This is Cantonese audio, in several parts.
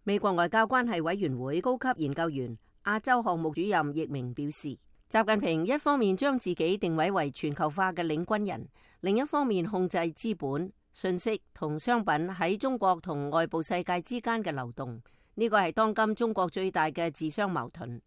美國外交關係委員會高級研究員亞洲項目主任易明表示，習近平一方面將自己定位為全球化嘅領軍人，另一方面控制資本、信息同商品喺中國同外部世界之間嘅流動。呢個係當今中國最大嘅自相矛盾。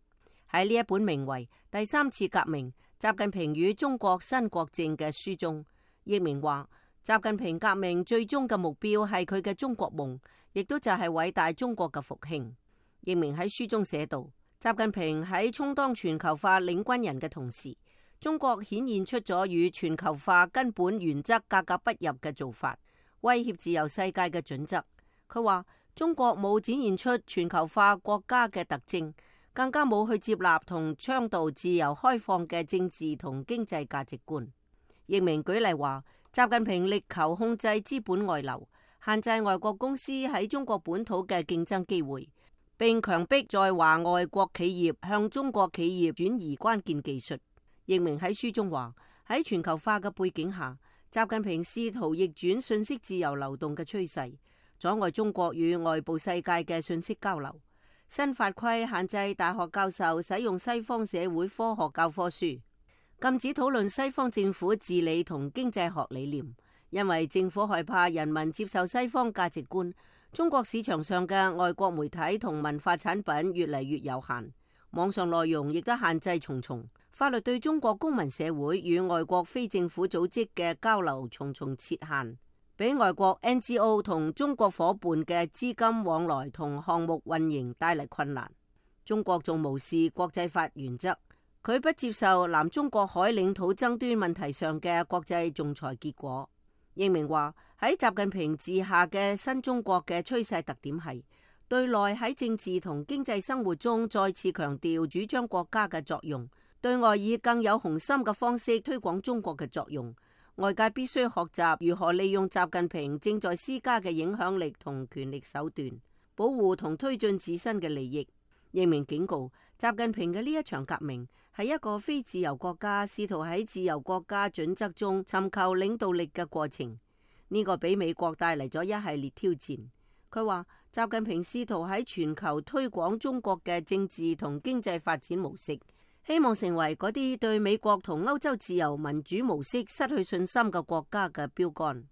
喺呢一本名為《第三次革命：習近平與中國新國政》嘅書中，易明話，習近平革命最終嘅目標係佢嘅中國夢，亦都就係偉大中國嘅復興。易明喺書中寫道，習近平喺充當全球化領軍人嘅同時，中國顯現出咗與全球化根本原則格格不入嘅做法，威脅自由世界嘅準則。佢話中國冇展現出全球化國家嘅特徵，更加冇去接納同倡導自由開放嘅政治同經濟價值觀。易明舉例話，習近平力求控制資本外流，限制外國公司喺中國本土嘅競爭機會，並強迫在華外國企業向中國企業轉移關鍵技術。易明喺書中話，喺全球化嘅背景下，習近平試圖逆轉信息自由流動嘅趨勢，阻礙中國與外部世界嘅信息交流。新法規限制大學教授使用西方社會科學教科書，禁止討論西方政府治理同經濟學理念，因為政府害怕人民接受西方價值觀。中國市場上嘅外國媒體同文化產品越嚟越有限，網上內容亦都限制重重，法律對中國公民社會與外國非政府組織嘅交流重重設限，俾外國 NGO 同中國伙伴嘅資金往來同項目運營帶嚟困難。中國仲無視國際法原則，佢不接受南中國海領土爭端問題上嘅國際仲裁結果。易明話，喺習近平治下嘅新中國嘅趨勢特點係對內喺政治同經濟生活中再次強調主張國家嘅作用，對外以更有雄心嘅方式推廣中國嘅作用。外界必須學習如何利用習近平正在施加嘅影響力同權力手段，保護同推進自身嘅利益。易明警告，習近平嘅呢一場革命係一個非自由國家試圖喺自由國家準則中尋求領導力嘅過程。呢個俾美國帶嚟咗一系列挑戰。佢話習近平試圖喺全球推廣中國嘅政治同經濟發展模式，希望成為嗰啲對美國同歐洲自由民主模式失去信心嘅國家嘅標杆。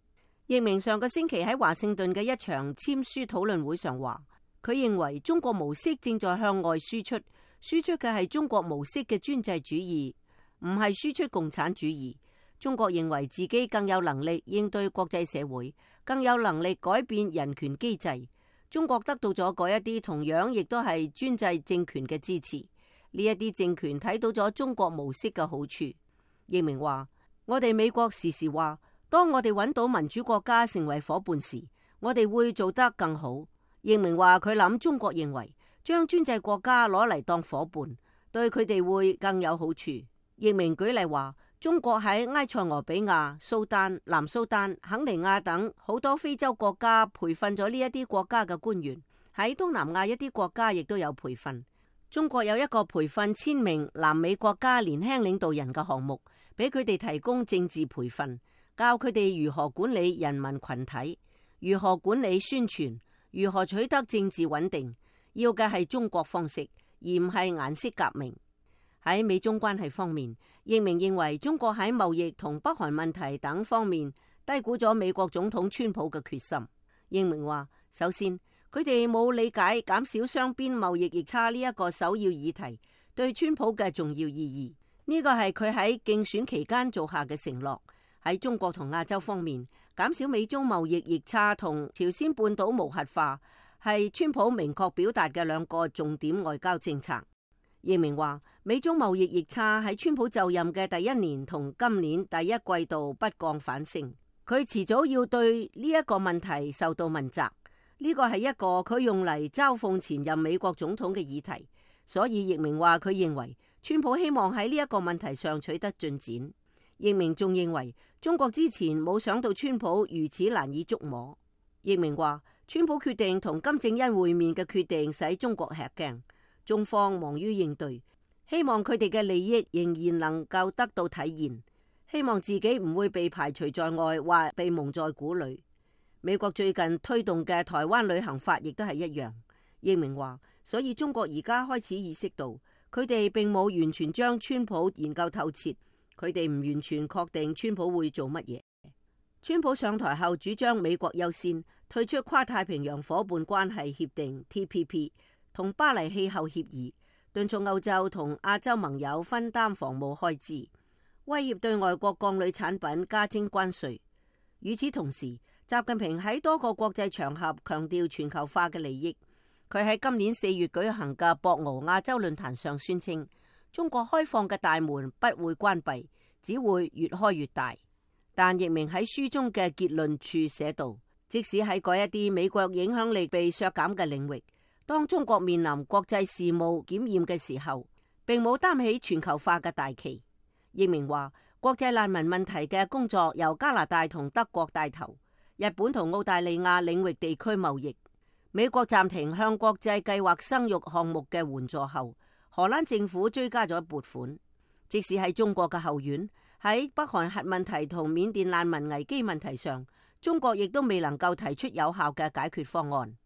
易明上個星期喺華盛頓嘅一場簽書討論會上話，佢認為中國模式正在向外輸出，輸出嘅係中國模式嘅專制主義，唔係輸出共產主義。中國認為自己更有能力應對國際社會，更有能力改變人權機制。中國得到咗嗰一啲同樣亦都係專制政權嘅支持，呢一啲政權睇到咗中國模式嘅好處。易明話，我哋美國時時話，當我哋揾到民主國家成為伙伴時，我哋會做得更好。易明話佢諗中國認為將專制國家攞嚟當伙伴，對佢哋會更有好處。易明舉例話，中國喺埃塞俄比亞、蘇丹、南蘇丹、肯尼亞等好多非洲國家培訓咗呢一啲國家嘅官員，喺東南亞一啲國家亦都有培訓。中國有一個培訓1000名南美國家年輕領導人嘅項目，俾佢哋提供政治培訓，教佢哋如何管理人民群體，如何管理宣傳，如何取得政治穩定。要嘅係中國方式，而唔係顏色革命。喺美中關係方面，易明認為中國喺貿易同北韓問題等方面低估咗美國總統川普嘅決心。易明話，首先佢哋冇理解減少雙邊貿易逆差呢一個首要議題對川普嘅重要意義。呢個係佢喺競選期間做下嘅承諾。喺中國同亞洲方面，減少美中貿易逆差同朝鮮半島無核化係川普明確表達嘅兩個重點外交政策。易明話，美中貿易逆差喺川普就任嘅第一年同今年第一季度不降反升，佢遲早要對呢一個問題受到問責。呢個係一個佢用嚟嘲諷前任美國總統嘅議題，所以易明話佢認為川普希望喺呢一個問題上取得進展。易明仲認為中國之前冇想到川普如此難以捉摸。易明話，川普決定同金正恩會面嘅決定使中國吃驚，中方忙於應對，希望佢哋嘅利益仍然能夠得到體現，希望自己唔會被排除在外或被蒙在鼓裏。美國最近推動嘅台灣旅行法亦都係一樣。易明話，所以中國而家開始意識到，佢哋並冇完全將川普研究透徹，佢哋唔完全確定川普會做乜嘢。川普上台後主張美國優先，退出跨太平洋夥伴關係協定 TPP 同巴黎氣候協議，敦促歐洲同亞洲盟友分擔防務開支，威脅對外國鋼鋁產品加徵關稅。與此同時，習近平喺多個國際場合強調全球化嘅利益。佢喺今年4月舉行嘅博鰲亞洲論壇上宣稱，中國開放嘅大門不會關閉，只會越開越大。但易明喺書中嘅結論處寫道，即使喺嗰一啲美國影響力被削減嘅領域，當中國面臨國際事務檢驗嘅時候，並冇擔起全球化嘅大旗。易明話，國際難民問題嘅工作由加拿大同德國帶頭，日本同澳大利亞領域地區貿易，美國暫停向國際計劃生育項目嘅援助後，荷蘭政府追加咗撥款。即使喺中國嘅後院，喺北韓核問題同緬甸難民危機問題上，中國亦都未能夠提出有效嘅解決方案。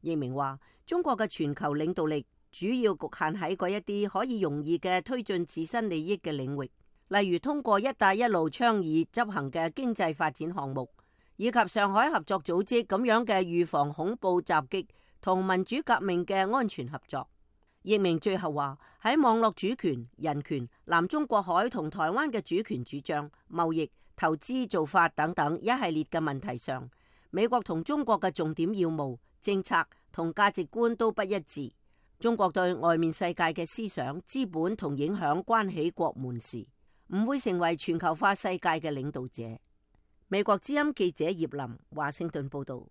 易明話，中國嘅全球領導力主要局限喺嗰一啲可以容易嘅推進自身利益嘅領域，例如通過一帶一路倡議執行嘅經濟發展項目，以及上海合作組織咁樣嘅預防恐怖襲擊同民主革命嘅安全合作。易明最後話，喺網絡主權、人權、南中國海同台灣嘅主權主張、貿易、投資做法等等一系列嘅問題上，美國同中國嘅重點要務、政策同價值觀都不一致。中國對外面世界嘅思想、資本同影響關起國門時，唔會成為全球化世界嘅領導者。美國之音記者葉林華盛頓報道。